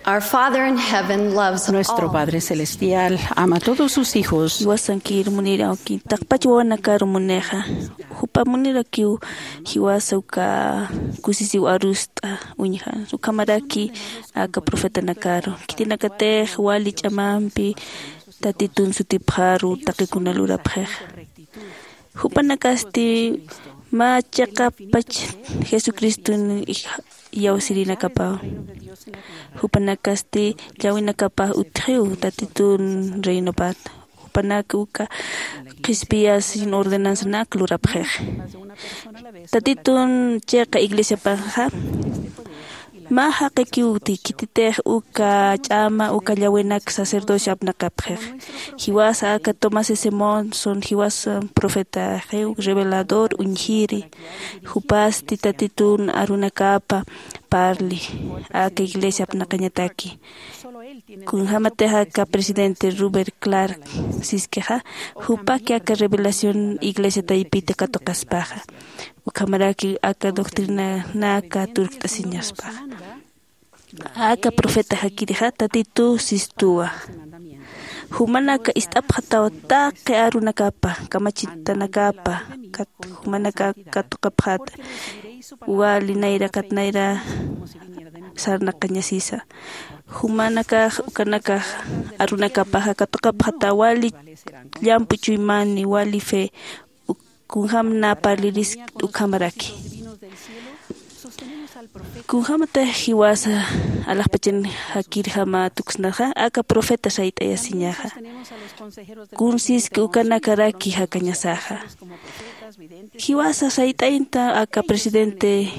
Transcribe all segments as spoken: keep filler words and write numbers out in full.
Our Father in heaven loves all. Nuestro Padre Celestial ama a todos sus hijos. Jiwasankir munirawki, taqpach wawanakar munixa. Jupa munirakiw jiwasa uka kusisiw arust'a uñjan. Ukhamaraki aka profetanakaru. Khitinakatix wali ch'amampi Tatitun sutipxaru taqikuna lurapxixa. Jupanakasti mä chiqapach Jesucriston ij-, iyawsirinakapaw. Jupanakasti llawinakapax utjiw Tatitun reinopat. Jupanak uka qhispiyasin ordenanzanak lurapxix. Tatitun chiqa iglesiapaxa mä jaqikiw uti, khititix uka ch'ama, uka llawinak sacerdocio apnaqapxix. Jiwasa aka Tomás S. Monson, jiwasa profetaxiw, revelador uñjiri. Jupasti Tatitun arunakapa parli aka iglesia apnaqañataki. Kunjämatix aka presidente Rupert Clark siskixa, jupaki aka revelación iglesia taypita katuqaspaxa. Ukhamaraki aka doctrinanaka turkt'asiñaspaxa. Aka profeta jakirixa Tatitu sistuwa. Jumanaka ist'apxataw taqi arunakapa, kamachitanakapa, kat-, jumanaka katuqapxata. Wali nayra kat nayra sarnaqañasisa. Jumanakax, ukanakax arunakapaxa katuqapxata wali llampu chuymani, wali fe, kunjäm nä parliriski ukhamaraki. Kunjämatix jiwasa alaxpachan jakirjama tuksnaxa, aka profeta sayt'ayasiñaxa. Kunsiski ukanakaraki jakañasaxa. Jiwasa sayt'aynta aka presidente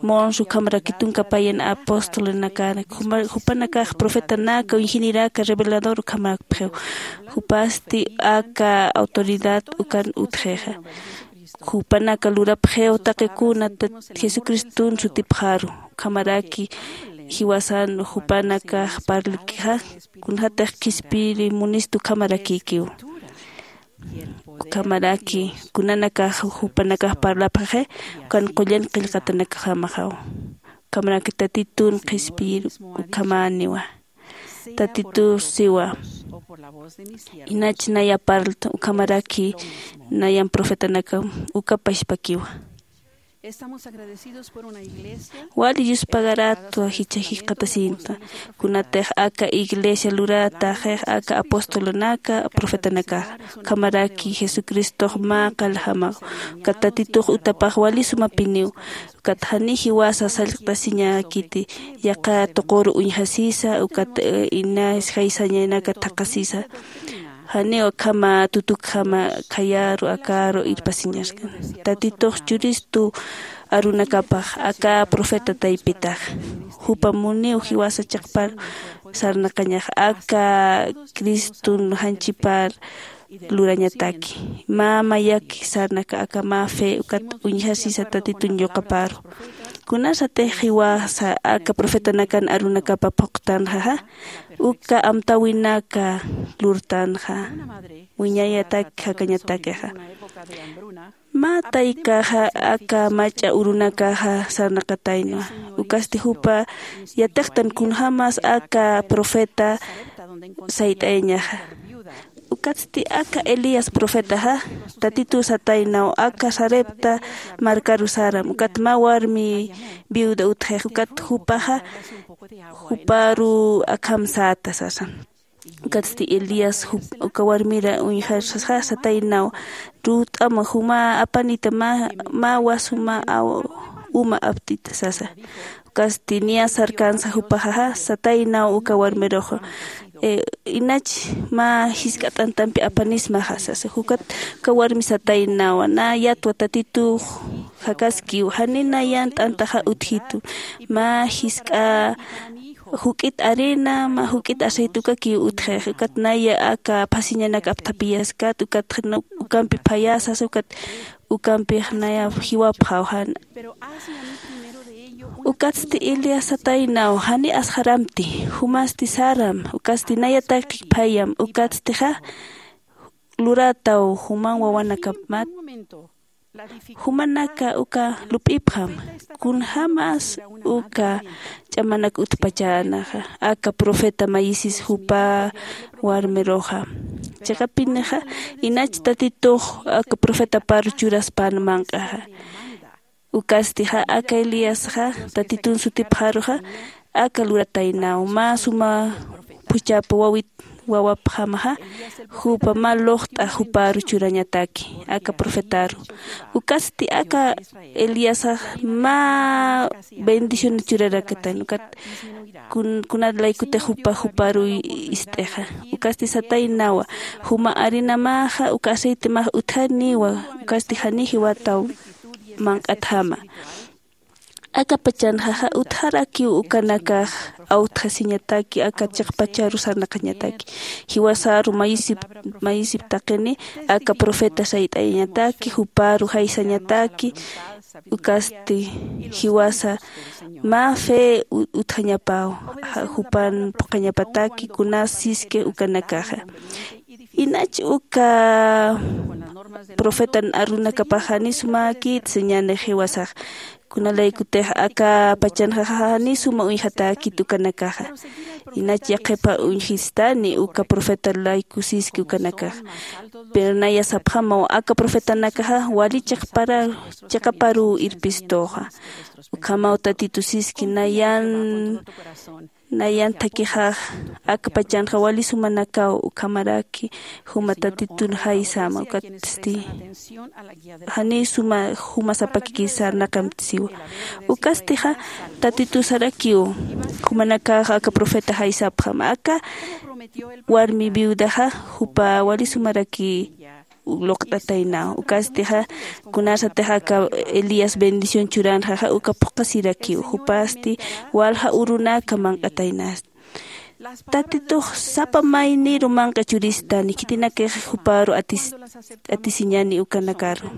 Monson ukhamaraki tunka payan apostolnakar, juma-, jupanakax profetanaka, ingenieraka, revelador ukhamarapxiw. Jupasti aka autoridad ukan utjixa. Jupanaka lurapxiw taqikuna Tat-, Jesucriston sutipxaru. Ukhamaraki jiwasan jupanakax parlikixa, kunjätix qhispiri munistu ukhamarakikiw. Ukhamaraki kunanakax jupanakax parlapxixi, ukan qullan qillqatanakjamaxaw. Ukhamaraki Tatitun qhispiyir ukhamäniwa. Tatitur siwa. Inach naya parlta, ukhamaraki nayan profetanaka uka pachpakiwa. Wali yuspagaratwa jichha jikxatasinta, kunatix aka iglesia lurataxix aka apostolunaka, profetanakaxa. Ukhamaraki Jesucristox mä qaljamaw, ukat Tatitux utapax wali sumapiniw, ukat jani jiwasa sallqtasiñäkiti, yaqha tuquru uñjasisa, ukat, eh, inas jaysañanaka thaqhasisa. Janiw akhama tutukjama khayaru akaru irpasiñaskan. Tatitux churistu arunakapax aka profeta taypitax. Jupa muniw jiwasa chiqpar sarnaqañax aka Criston janchipar lurañataki. Mä mayaki sarnaka aka mä fe ukat uñjasisa Tatitun yuqaparu. Kunasatix jiwasa aka profetanakan arunakapa phuqtanxaxa, uka amtäwinaka lurtanxa, wiñayatak jakañatakixa. Mä taykaxa aka mach'a urunakaxa sarnaqataynwa. Ukasti jupa yatiqtan kunjämas aka profeta sayt'ayañaxa. Ukatsti aka Elías profetaxa, Tatitu sataynaw aka Sarepta markaru saram, ukat mä warmi viuda utjix, ukat jupaxa juparu akham säta sasa. Ukatsti Elías jup-, uka warmira uñjarsa sataynaw, rut'ama juma apanita mä, mä wasuma aw-, uma aptita sasa. Ukatsti niya sarkansa jupaxaxa sataynaw uka warmiruxa, eh, inach mä jisk'a t'antampi apanismaxa sasa. Ukat uka warmi sataynawa, nä yatwa Tatitux jakaskiw, jani nayan t'antaxa utjitu. Mä jisk'a juk'it arena, mä juk'it aceite ukakiw utjix. Ukat naya aka phasiñanak apthapiyaskat, ukat ukampi phayasas, ukat ukampix naya jiwapxaw jan. Ukatsti Elías sataynaw, jani asxaramti, jumasti saram, ukatsti nayataki phayam, ukatstixa lurataw juman wawanakamat. Jumanaka uka lup'ipxam, kunjämas uka ch'amanak utpachänaxa aka profeta mayisis jupa warmiruxa. Chiqapinixa inach tatitux aka profetaparu churaspän manq'axa. Ukastixa aka eliasxa tatitun sutipxaruxa aka lurataynaw mä suma phuchhapa wawit wawapxamaxa, jupa mä luqt'a juparu churañataki aka profetaru. Ukasti aka eliasax mä bendición churarakatan ukat kun- kunat laykutix jupa juparu ist'ixa. Ukasti sataynawa, juma arinamaxa uka aceitemax utjaniwa. Ukasti jani jiwataw manq'atjama. Aka pachanxaxa utjarakiw ukanakax awtjasiñataki aka chiqpacharu sarnaqañataki. Jiwasaru mayisip mayisip taqini aka profeta sayt'ayañataki juparu jaysañataki. Ukasti jiwasa mä fe u- utjañapaw, ja- jupan phuqhañapataki kunas siski ukanakaxa. Inach uka profetan arunakapax jani sumäkit señanix jiwasax. Kunalaykutix aka pachanxa jani suma uñjatäkit ukanakaxa. Inach yaqhipa uñjistani uka profeta layku siski ukanakaxa. Pero naya sapxamaw aka profetanakaxa wali chiqpara chiqaparuw irpistuxa. Ukhamaw tatitu siski nayan nayan thakixax aka pachanxa wali sumanakaw ukhamaraki juma tatitun jaysama ukatsti jani suma juma sapakiki sarnaqamtisiwa. Ukastixa tatitu sarakiw jumanakax aka profeta jaysapxam aka warmi viudaxa jupa wali sumaraki luqt'ataynaw. Ukastixa kunasatix aka elías bendición churanxaxa uka phuqhasirakiw jupasti walja urunaka manq'ataynasti. Tatitux sapa mayniru manq'a churistani khitinakix juparu atis- atisiñani ukanakaru.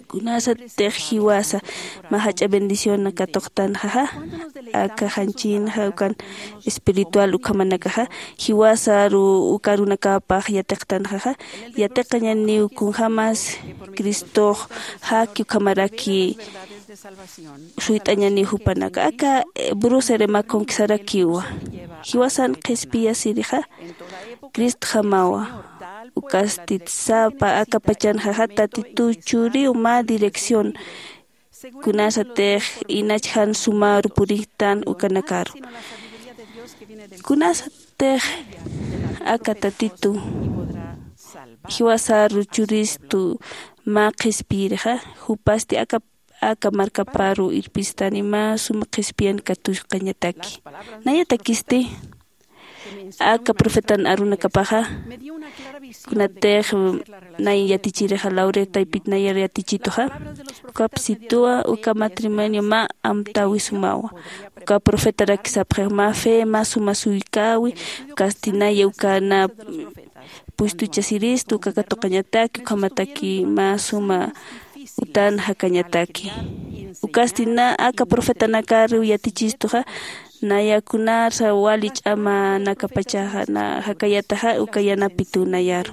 Kunasatix jiwasa mä jach'a bendición katuqtanxaxa aka janchinxa ukan espiritual ukhamanakaxa jiwasaru uka arunakapax yatiqtanxaxa yatiqañaniw kunjämas cristox jaki ukhamaraki suyt'añaniw jupanaka aka bruce remakon kisarakiwa. Jiwasan qhispiyasirixa cristjamawa. Ukastit sapa aka pachanxaxa tatitu churiw mä dirección kunasatix inach jan sumaru purixtan ukanakaru. Kunasatix aka tatitu jiwasaru churistu mä qhispiyirixa jupasti aka aka markaparu irpistani mä suma qhispiyan katuskañataki. Nayatakisti aka profetan arunakapaxa kunatix nay yatichirixa lauretaypit nayar yatichituxa. Ukapsituwa uka matrimonio mä amtäwi sumawa uka profetarak sapxix mä fe mä suma suykäwi. Ukasti naya uka na puestuchasiristu uka katuqañataki ukhamataki mä suma utan jakañataki. Ukasti na aka profetanakariw yatichistuxa naya kunarsa wali ch'amanakapachaxa na jakayataxa uka yanapituw nayaru.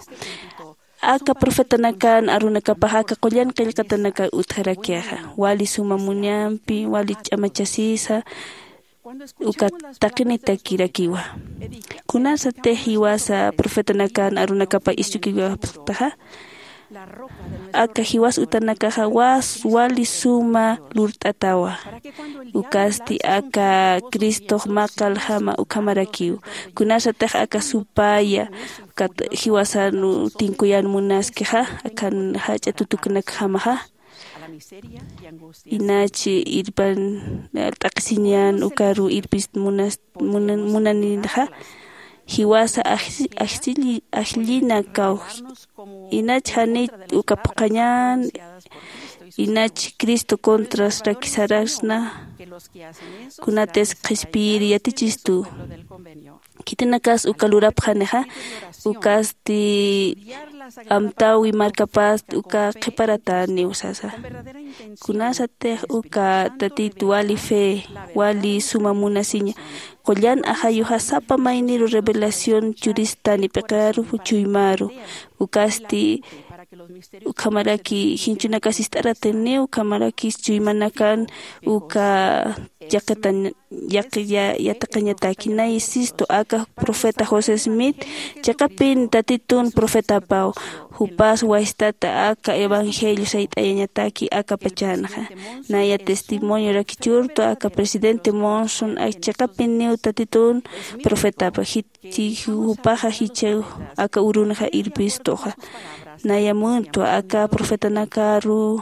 Aka profetanakan arunakapaxa aka qullan qillqatanakar utjarakixa wali suma munampi wali ch'amachasisa uka taqinitakirakiwa. Kunasatix jiwasa profetanakan arunakapa istukiwapxtaxa aka jiwas utanakaxa was wali suma lurt'atawa. Ukasti aka cristox maqaljama ukhamarakiw. Kunasatix aka supaya ukat jiwasan tinkuyan munaskixa akan jach'a tutuknakjamaxa inach irpan t'aqhisiñan ukaru irpist munas- munan- munaninxa jiwasa ajsi- ajsilli- ajllina kawji. Inach janit uka phuqhañan inach cristo contras rakisarasna kunatis qhispiyiri yatichistu. Khitinakas uka lurapxanixa ukasti amtäwi markapast uka qhiparataniw sasa. Kunasatix uka tatit wali fe wali suma munasiña qullan ajayuxa sapa mayniru revelación churistani p'iqaru chuymaru ukasti Ukhamaraki jinchunakas ist'aratiniw, ukhamarakis chuymanakan uka yaqitañ yaqi yatiqañataki. Nay sistu aka profeta josé smith chiqapin tatitun profetapaw. Jupas wastata aka evangelio sayt'ayañataki aka pachanxa. Naya testimonio rakichurtu aka presidente monson chiqapiniw tatitun profetapa. Jupaxa jichhaw aka urunxa irpistuxa. Naya muntwa aka profetanakaru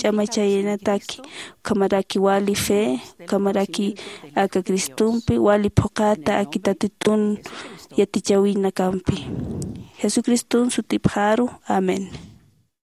ch'amachayanataki ukhamaraki wali fe ukhamaraki aka cristompi wali phuqhata aki tatitun yatichawinakampi. Jesucriston sutipxaru. Amén.